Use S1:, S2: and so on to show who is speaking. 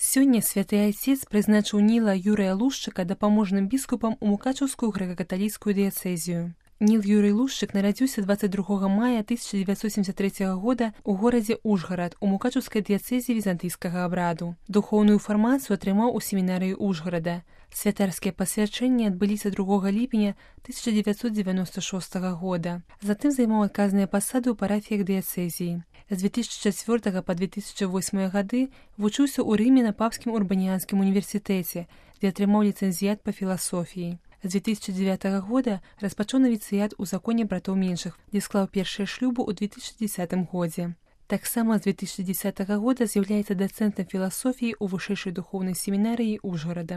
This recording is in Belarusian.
S1: Сёння святы айцец прызначыў Ніла Юрыя Лушчыка дапаможным біскупам у Мукачаўскую грэка-каталіцкую дыяцэзію. Ніл Юрый Лушчык нарадзіўся 22 мая 1973 года ў горадзе Ужгарад у Мукачаўскай дыяцэзіі візантыйскага абраду. Духоўную фармацыю атрымаў у семінарыі Ужгарада. Святарскія пасвячэнні адбыліся 2 ліпеня 1996 года. Затым займаў адказныя пасады ў парафіях дыяцэзіі. З 2004 па 2008 гады вучыўся ў Рыме на Папскім урбаніянскім універсітэце, дзе атрымаў ліцэнзіят па філасофіі. З 2009 года распачаў навіцыят у законе братоў меншых, дзе склаў першыя шлюбы ў 2010 годзе. Таксама з 2010 года з'яўляецца дацэнтам філасофіі ў вышэйшай духоўнай семінарыі Ужгарада.